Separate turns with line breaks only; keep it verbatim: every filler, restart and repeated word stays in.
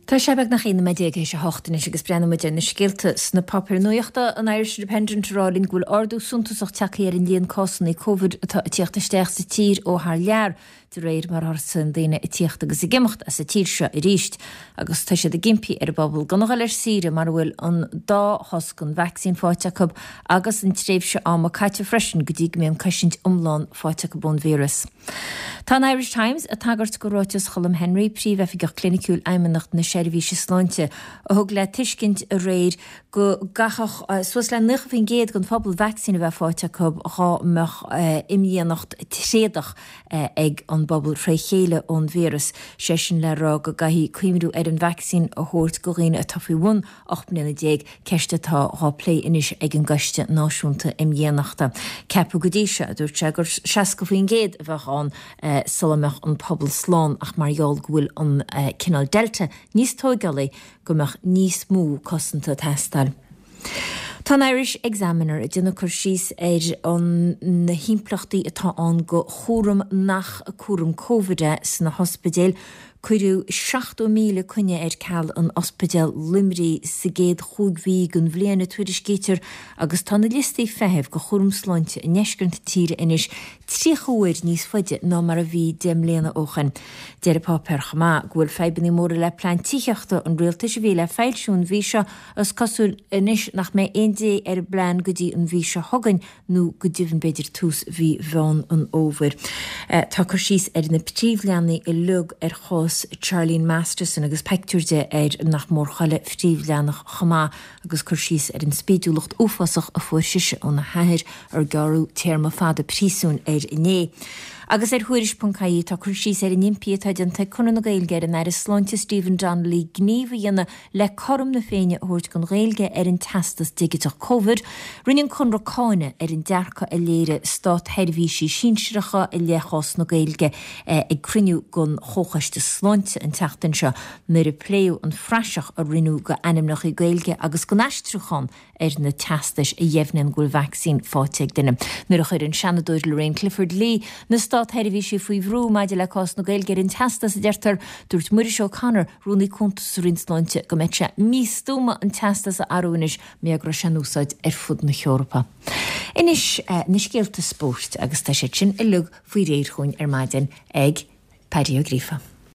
Tá sé beagnach aon nóiméad déag théis a hocht anois agus breathnóidh muid ar na scéalta sna páipéir nuachta. An Irish Independent ag rá linn go bhfuil ardú suntasach tagtha ar an líon cásanna Covid atá ag tíocht isteach sa tír ó thar lear, de réir mar a thosaíonn daoine ag tíocht agus ag imeacht as an tír seo arís. Agus tá siad ag impí ar an bpobal gan a dhul ar saoire mura bhfuil an dá dhós den vacsaín faighte acu agus an tréimhse ama caite freisin go dtí go mbeidh an cosaint iomlán faighte acu ón víreas. Tá an Irish Times ag tagairt do ráiteas Cholm Henry, príomhoifigeach cliniciúil Fheidhmeannacht na Seirbhíse Sláinte, a thug le tuiscint aréir go gcaithfeadh suas le naocha faoin gcéad den phobal vacsaín a bheith faighte acu dhá mbeadh imdhíonacht tréadach ag an bpobal fré chéile ón víreas, sé sin le rá go gcaithfí cuimhniú ar an vacsaín a thabhairt do dhaoine atá faoi bhun ocht mbliana déag, ceist atá dhá plé anois ag an gCoiste Náisiúnta Imdhíonachta. Ceapadh go dtí seo, a dúirt sé, gur seasca faoin gcéad a bheadh ann sula mbeadh an pobal slán ach mar gheall go bhfuil an cineál Delta níos tóigeálaí go mbeadh níos mó cosanta ag teastáil. Tá an Irish Examiner ag déanamh cur síos ar an na himpleachtaí atá ann do chúram nach cúram Covid é sna hospidéil. Cuireadh seachtó míle coinne ar ceal in Ospidéal Luimnigh sa gcéad chúig mhí den bhliain, a tuairiscítear, agus tá na liostaí feithimh do chúram sláinte i ndeisceart na tíre anois tríocha uair níos faide ná mar a bhí deich mbliana ó shin. Deir an páipéar chomh maith go bhfuil fadhbanna móra le plean tithíochta an rialtais a bhí le foilsiú an mhí seo is cosúil anois nach mbeidh aon dé ar an bplean go dtí an mhí seo chugainn nó go deimhin b'fhéidir tús mhí Mheán an Fhómhair. Tá cur síos ar na príomhleathanaigh uilig ar chás Charlene Masterson agus pictiúr di ar nach mór chuile phríomhleathanach chomh maith agus cur síos ar an spídiúlacht uafásach a fuair sise óna hathair ar gearradh téarma fada príosúin air inné. Agus ar Thuairisc ponc ie tá cur síos ar an impí atá déanta ag Conradh na Gaeilge ar an Aire Sláinte Stephen Donnelly gníomh a dhéanamh le cothrom na Féinne a thabhairt don Ghaeilge ar an teastas digiteach Covid. Rinne an Conradh cáineadh ar an dearcadh a léirigh státsheirbhísí sinsearacha i leith chás na Gaeilge ag cruinniú den Chomhchoiste Sláinte an tseachtain seo nuair a pléadh an phraiseach a rinneadh d'ainmneacha Gaeilge agus den aistriúchán ar na teastais a dheimhníonn go bhfuil vacsaín faighte ag duine. Nuair a chuir an Seanadóir Lorraine Clifford Lee na státsheirbhísí faoi bhrú maidir le cás na Gaeilge ar an teastas, a deirtear, dúirt Muiris O'Connor, Rúnaí Cúnta sa Roinn Sláinte, go mbeadh sé místuama an teastas a athrú anois mar go raibh sé in úsáid ar fud na hEorpa. Anois na scéalta spóirt agus tá siad sin uilig faoi réir chugainn ar maidin ag Paddy Ó Gríofa.